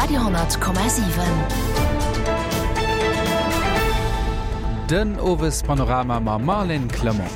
Radio 10,7. Den Owespanorama mam Marlène Clement.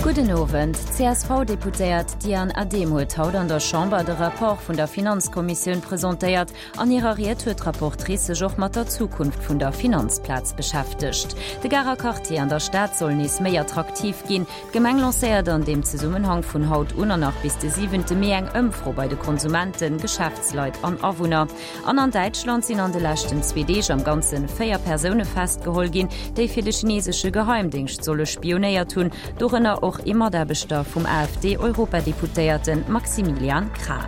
Gudden Owend. D'CSV-Deputéiert Diane Adehm huet haut an der Chamber de Rapport vun der Finanzkommissioun presentéiert. An hirer Ried huet d'Rapportrice sech och mat der Zukunft vun der Finanzplaz beschäftegt. De Garer Quartier an der Stad soll nees méi attraktiv ginn. D'Gemeng lancéiert an deem Zesummenhang vun haut un an nach bis de siwente Mee eng Ëmfro bei de Konsumenten, Geschäftsleit an Awunner. An an Däitschland sinn an de leschten zwee Deeg am Ganze 4 Persoune festgeholl ginn, déi fir de chinesesche Geheimdéngscht solle spionéiert hunn, dorënner och ee Mataarbechter vum AfD-Europadeputéierte Maximilian Krah.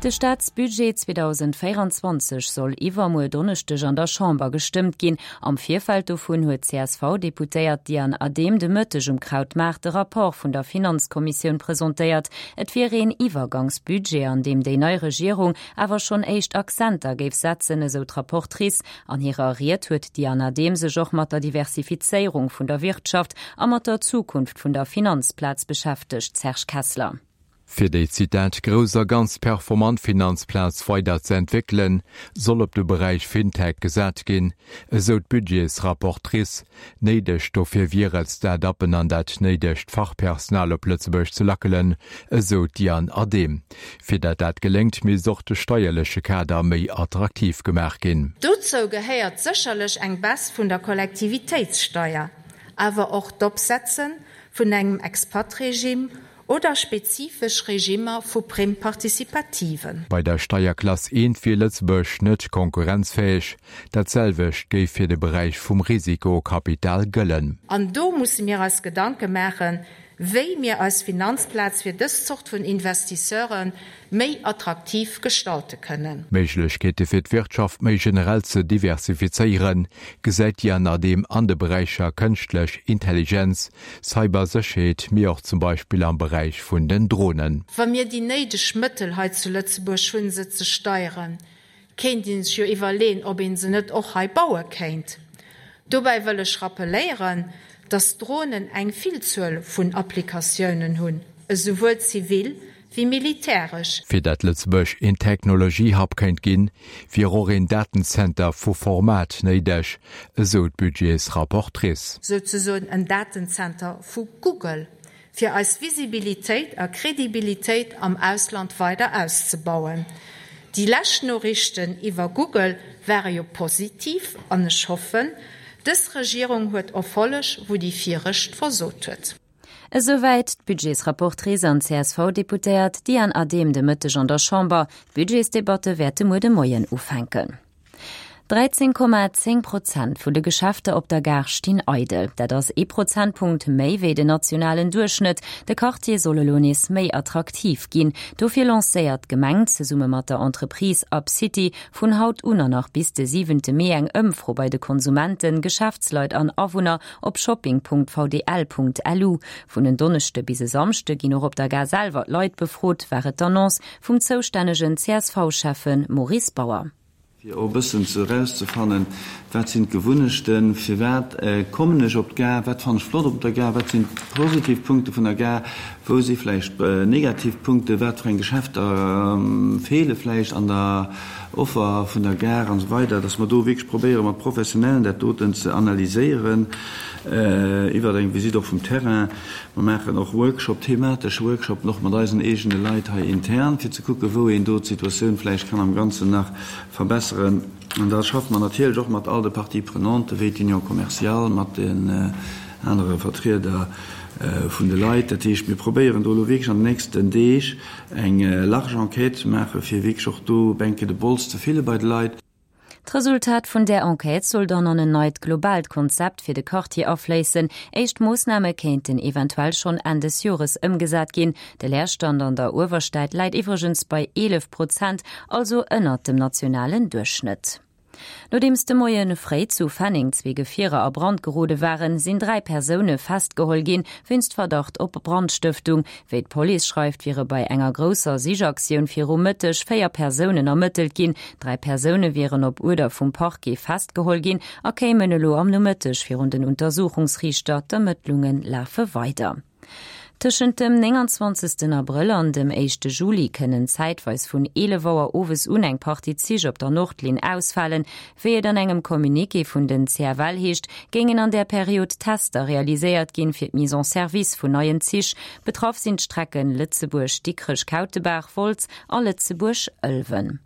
De Staatsbudget 2024 soll iwwermuer Donneschdeg an der Chamber gestëmmt ginn. Am Virfeld dovun huet d'CSV-Deputéiert Diane Adehm de Mëtteg um Krautmaart de Rapport vun der Finanzkommissioun presentéiert. Et wier een Iwwergangsbudget, an deem déi nei Regierung awer schonn éischt Accenter géif setzen, esou d'Rapportrice. An hirer Ried huet d'Diane Adehm sech och mat der Diversifizéierung vun der Wirtschaft a mat der Zukunft vun der Finanzplaz beschäftegt. Serge Kessler. Fir déi, Zitat, grouss a ganz performant Finanzplaz weider ze entwéckelen, soll op de Beräich Fintech gesat ginn, esou d'Budgetsrapportrice. Néideg dofir wier et, Start-uppen an dat néidegt Fachpersonal op Lëtzebuerg ze lackelen, esou d'Diane Adehm. Fir dat dat geléngt, misst och de steierleche Kader méi attraktiv gemaach ginn. Dozou gehéiert sécherlech eng Baisse vun der Kollektivitéitssteier, awer och d'Opsetze vun engem Expat-Regime oder spezifesch Regimmer vu Prime participativen. Bei der Steierklass I wier Lëtzebuerg net konkurrenzfäeg. Dat selwecht géif fir de Beräich vum Risikokapital gëllen. An do musse mir eis Gedanke maachen, wéi mir eis Finanzplaz fir dës Zort vun Investisseure méi attraktiv gestalte kënnen. Méiglechkeete fir d'Wirtschaft méi generell ze diversifizéieren, gesäit d'Diane Adehm an de Beräicher kënschtlech Intelligenz, Cybersécherheet, mee och zum Beispill am Beräich vun den Dronen. Wa mir déi néideg Mëttel hei zu Lëtzebuerg hunn, se ze steieren, kéint ee sech jo iwwerleeën, ob ee se net och hei baue kéint. Dobäi wëll ech rappeléieren, dass Dronen eng Villzuel vun Applikatiounen hunn, esouwuel zivil wéi militäresch. Fir dat Lëtzebuerg een Technologie-Hub kéint ginn, wier och een Datenzenter vu Format néideg, esou d'Budgetsrapportrice. Souzesoen en Datenzenter vu Google, fir eis Visibilitéit a Kredibilitéit am Ausland weider auszebauen. Déi lescht Noriichten iwwer Google ware jo positiv an ech hoffen, dës Regierung huet Erfolleg, wou déi viregt versot huet. Esouwäit d'Budgetsrapportrice an CSV-Deputéiert Diane Adehm de Mëtteg an der Chamber. D'Budgetsdebatte wäerte muer de Moien ufänken. 13,10 Prozent vun de Geschäfter op der Gare stinn eidel. Dat ass ee Prozentpunkt méi wéi den nationalen Duerchschnëtt. De Quartier soll elo nees méi attraktiv ginn. Dofir lancéiert d'Gemeng zesumme mat der Entreprise Up City vun haut un an nach bis de siwente Mee eng Ëmfro bei de Konsumenten, Geschäftsleit an Awunner Op shopping.vdl.lu. Vun en Donneschde bis e Samschde ginn och op der Gare selwer d'Leit befrot, war et d'Annonce vum zoustännegen CSV-Schäffe Maurice Bauer. Fir och e bëssen ze erauszefannen, wat sinn d'Gewunnechten, firwat kommen ech op d'Gare, wat fannen ech flott op der Gare, wat sinn d'positiv Punkte vun der Gare, wou si vläicht negativ Punkten, wat fir eng Geschäfter feele vläicht an der Offer vun der Gare an esou weider, dass mer do wierklech probéiere mat Professionellen dat doten ze analyséieren iwwert eng Visite och vum Terrain. Mer maachen och Workshop, thematesch Workshopen och mat eisen eegene Leit hei intern, fir ze kucken, wou een do d'Situatioun vläicht kann am Ganzen nach verbesseren. An da schaffe mer natierlech och mat all de Parties prenantes, wéi d'Union commerciale, mat den anere Vertrieder vun de Leit. Dat heescht, mir probéieren do elo wierklech an den nächsten Deeg, Eng large Enquête ze maachen, fir wierklech och do Bänke de Bols ze fille bei de Leit. D'Resultat vun där Enquête soll dann an en neit globaalt Konzept fir de Quartier afléissen. Éischt Moossname kéinten eventuell schonn Enn des Jores ëmgesat ginn. De Leerstand an der Uewerstad läit iwwregens bei 11 Prozent, also ënnert dem nationalen Duerchschnëtt. Nodeems de Moie fréi zu Fenneng zwee Gefierer a Brand gerode waren, sinn 3 Persoune festgeholl ginn, wéinst Verdacht op Brandstëftung. Wéi d'Police schreift, wiere bei enger grousser Sichaktioun viru Mëtteg 4 Persounen ermëttelt ginn. 3 Persoune wieren op Uerder vum Parquet festgeholl ginn a kéimen elo am Nomëtteg virun den Untersuchungsriichter. D'Ermëttlunge lafe weider. Tëschent dem 29 Abrëll an dem éischte Juli kënnen zäitweis vun 11 Auer owes un eng Partie Zich op der Nordlinn ausfalen. Wéi et an engem Communiqué vun den CFL heescht, géingen an där Period Tester realiséiert ginn, fir d'Mise en service vun neien Zich. Betraff sinn d'Strecken Lëtzebuerg, Dikrech, Kautebaach, Wolz a Lëtzebuerg, Ëlwen.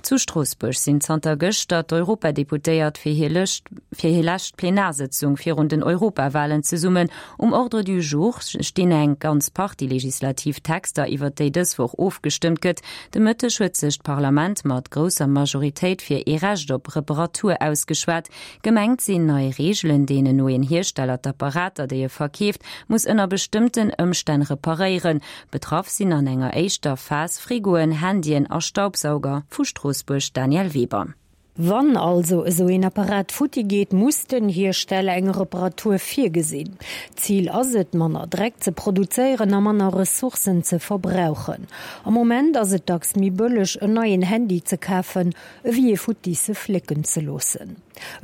Zu Stroossbuerg sinn zanter gëschter d'Europadeputéiert fir hir lëscht fir hir lescht Plenarsëtzung virun den Europawalen zesummen. Um Ordre du jour stinn eng ganz Partie legislativ Texter, iwwer déi dës Woch ofgestëmmt gëtt. De Mëtteg huet sech d'Parlament mat grousser Majoritéit fir ee Recht op Reparatur ausgeschwat. Gemengt sinn nei Reegelen, deenen no een Hiersteller d'Apparater, déi e verkeeft, muss ënner bestëmmten Ëmstänn reparéieren. Betraff sinn an enger éischter Phas Frigoen, Handyen a Staubsauger. Vu Stroossbuerg Danièle Weber. Wann also esou een Apparat futti geet, muss den Hiersteller eng Reparatur virgesinn. Zil ass et, manner Dreck ze produzéieren a manner Ressourcen ze verbrauchen. Am Moment ass et dacks méi bëlleg, en neien Handy ze kafen, ewéi ee futtisse flécken ze loossen.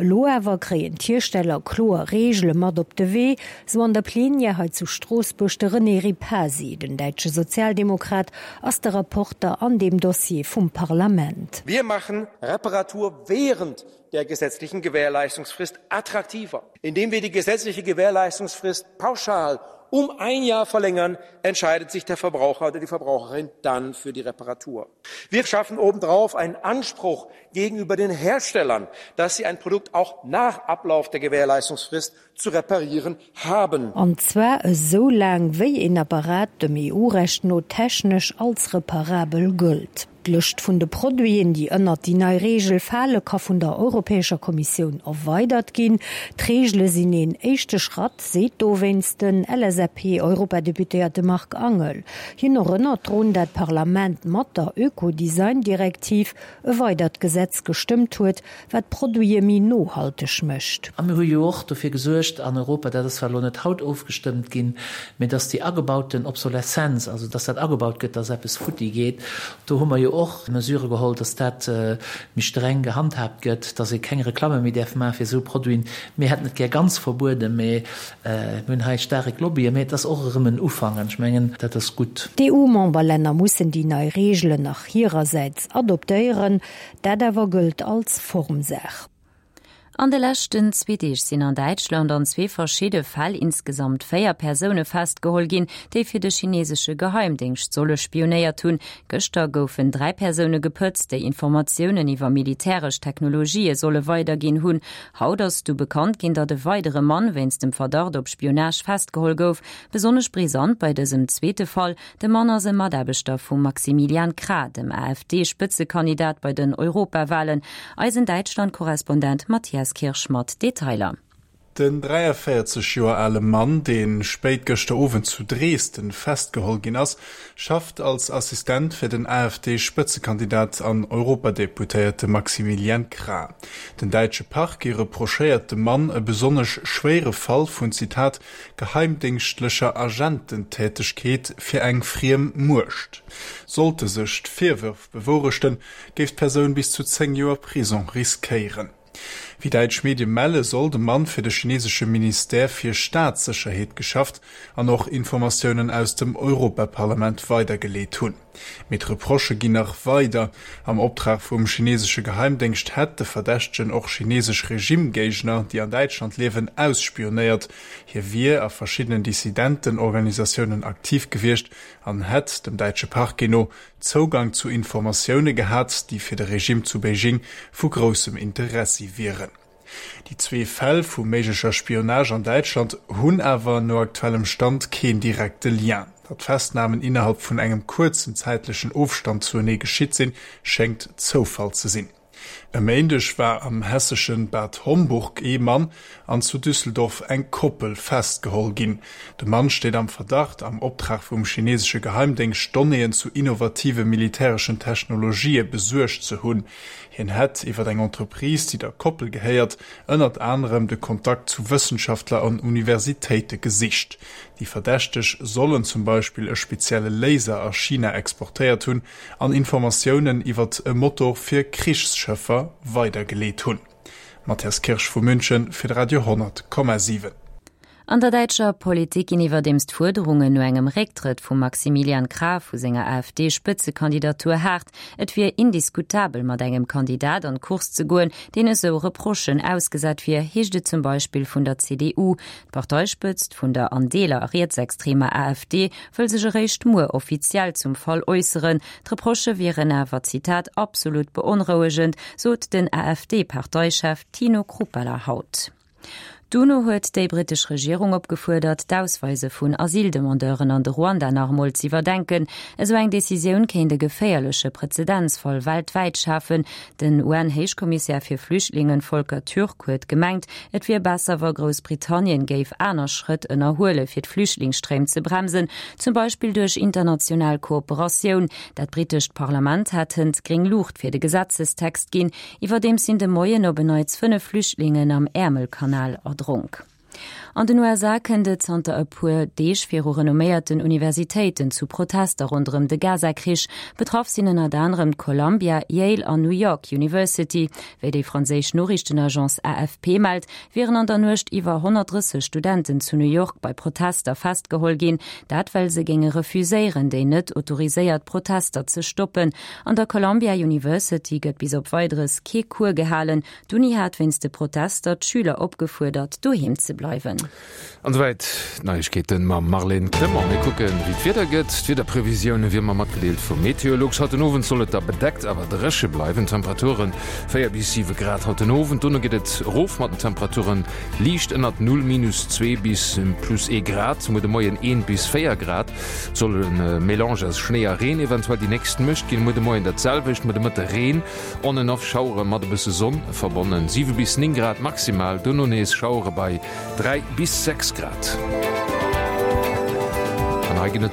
Elo awer kréien d'Hiersteller kloer Reegele mat op de Wee, sou an der Plenière hei zu Stroossbuerg de René Repasi. Den däitsche Sozialdemokrat ass de Rapporter an deem Dossier vum Parlament. Wir machen Reparatur während der gesetzlichen Gewährleistungsfrist attraktiver, indem wir die gesetzliche Gewährleistungsfrist pauschal um ein Jahr verlängern, entscheidet sich der Verbraucher oder die Verbraucherin dann für die Reparatur. Wir schaffen obendrauf einen Anspruch gegenüber den Herstellern, dass sie ein Produkt auch nach Ablauf der Gewährleistungsfrist zu reparieren haben. An zwar esou laang, wéi een Apparat dem EU-Recht no technesch als reparabel gëllt. D'Lëscht vun de Produiten, déi ënnert déi nei Reegel fale, ka vun der Europäescher Kommissioun erweidert ginn. D'Reegele sinn een éischte Schratt, seet dowéinst den LSAP-Europadeputéierte Marc Angel. Hien erënnert drun, dat d'Parlament mat der Ökodesign-Direktiv e weidert Gesetz gestëmmt huet, wat d'Produite méi nohalteg mécht. A mir hu jo och dofir gesuergt an Europa, dat ass zwar elo net haut ofgestëmmt ginn, mä dass déi agebauten Obsoleszenz, also dass dat agebaut gëtt, dass eppes futti geet, do hu mer jo och Mesurë geholl, dass dat méi streng gehandhaabt gëtt, dass ee keng Reklamme méi däerf maache fir esou Produiten. Mir hätten et gär ganz verbueden, mä Mir hunn hei staarek Lobbyen, mä et ass och erëm en Ufank an ech mengen, dat ass gutt. D'EU-Memberlänner mussen déi nei Reegelen nach hirersäits adoptéieren. Dat awer gëllt als Formsaach. An de leschten zwee Deeg sinn an Däitschland an zwee verschidde Fäll insgesamt 4 Persoune festgeholl ginn, déi fir de chinesesche Geheimdéngscht solle spionéiert hunn. Gëschter goufen 3 Persoune gepëtzt, déi Informatiounen iwwer militäresch Technologië solle weiderginn hunn. Haut ass du bekannt ginn, datt e weidere Mann wéinst dem Verdacht op Spionage festgeholl gouf. Besonnesch brisant bei dësem zweete Fall, De Mann ass e Mataarbechter vum Maximilian Krah, dem AfD-Spëtzekandidat bei den Europawalen. Eisen Däitschland-Korrespondent Matthias Kirsch mat Detailer. Den 43 Joer ale Mann, dee spéit gëschter Owend zu Dresden festgeholl ginn ass, schafft als Assistent fir den AfD-Spëtzekandidat an Europadeputéierte Maximilian Krah. Den däitsche Parquet reprochéiert dem Mann e besonnesch schwéiere Fall vun, Zitat, geheimdéngschtlecher Agententätegkeet fir eng friem Muecht. Sollte sech d'Virwërf bewourechten, géif d'Persoun bis zu 10 Joer Prisong riskéieren. Wéi däitsch Medie melle soll de Mann fir de chinesesche Ministère fir Staatssécherheet geschafft an och Informatiounen aus dem Europaparlament weidergeleet hunn. Mee d'Reprochë ginn nach weider. Am Optrag vum chinesesche Geheimdéngscht hätt de Verdächtegen och chinesesch Regimegéigner, déi an Däitschland liewen, ausspionéiert. Hie wier a verschiddenen Dissidentenorganisatiounen aktiv gewiescht an hätt, dem däitsche Parquet no, Zougang zu Informatioune gehat, déi fir de Regime zu Beijing vu groussem Interessi wieren. Déi zwee Fäll vu méiglecher Spionage an Däitschland hunn awer no aktuellem Stand keen direkte Lien. Datt d'Festnamen innerhalb vun engem kuerzen zäitlechen Ofstand zuenee geschitt sinn, schéngt Zoufall ze sinn. E Méindeg war am hessesche Bad Homburg ee Mann an zu Düsseldorf eng Koppel festgeholl ginn. De Mann steet am Verdacht, am Optrag vum chinesesche Geheimdéngscht Donnéeën zu innovative militäreschen Technologië besuergt ze hunn. Hien hätt iwwer eng Entreprise, déi der Koppel gehéiert, ënnert anerem de Kontakt zu Wëssenschaftler an Universitéite gesicht. Déi Verdächteg sollen zum Beispill e spezielle Laser a China exportéiert hunn, an Informatiounen iwwert e Motor fir Krichsschëffer weidergeleet hunn. Matthias Kirsch vu München fir de Radio 100,7. An der däitscher Politik ginn iwwerdeems d'Fuerderungen no engem Récktrëtt vum Maximilian Krah vu senger AfD-Spëtzekandidatur haart. Et wier indiskutabel, mat engem Kandidat an d'Course ze goen, deen esou Reprochen ausgesat wier, heescht et zum Beispill vun der CDU. D'Parteispëtzt vun der an Deeler rietsextremer AfD wëll sech eréischt muer offiziell zum Fall äusseren. D'Reprochë wieren awer, Zitat, absolut beonrouegend, sot den AfD-Parteichef Tino Chrupalla haut. D'UNO huet déi brittesch Regierung opgefuerdert, d'Ausweise vun Asyldemandeuren an de Ruanda nach emol z'iwwerdenken. Esou eng Decisioun kéint e geféierleche Prezedenzfall weltwäit schafen. Den UN-Héichkommissär fir Flüchtlingen Volker Türk huet gemengt, et wier besser, wa Groussbritannien géif aner Schrëtt ënnerhuele fir d'Flüchtlingsstréim ze bremsen, zum Beispill duerch international Kooperatioun. Dat brittescht Parlament hat hënt gréng Luucht fir de Gesetzestext ginn. Iwwerdeems sinn de Moien op en Neits 5 Flüchtlingen am Äermelkanal erdronk. An den USA kënnt et zanter e puer Deeg viru renomméierten Universitéiten zu Protester ronderëm de Gaza-Krich. Betraff sinn ënnert anerem d'Columbia, Yale an New York University. Wéi déi franséisch Noriichtenagence AFP mellt, wieren an der Nuecht iwwer 130 Studenten zu New York bei Protester festgeholl ginn. Dat well se géinge refuséieren, déi net autoriséiert Protester ze stoppen. An der Columbia University gëtt bis op Weideres kee Cours gehalen. D'Uni hat wéinst de Protester d'Schüler opgefuerdert, doheem ze bleiwen. An esouwäit d'Neiegkeeten mam Marlène Clement. Mir kucken, wéi d'Wieder gëtt. D'Wiederprevisioune wéi ëmmer matgedeelt vum Meteolux. Haut den Owend soll et da bedeckt, awer dréche bleiwen. Temperature 4 bis 7 Grad haut den Owend. Dono geet et erof mat den Temperaturen, liicht ënnert Null, minus 2 bis plus ee Grad. Muer de Moien 1 bis 4 Grad. Et soll e Melange aus Schnéi a Reen eventuell déi nächst Nuecht ginn. Muer de Moien dat selwecht, muer de Mëtte Reen, on and off Schauere mat e bësse Sonn verbonnen, 7 bis 9 Grad maximal, dono nees Schauere bei 3 bis 6 Grad. An hei ginn et.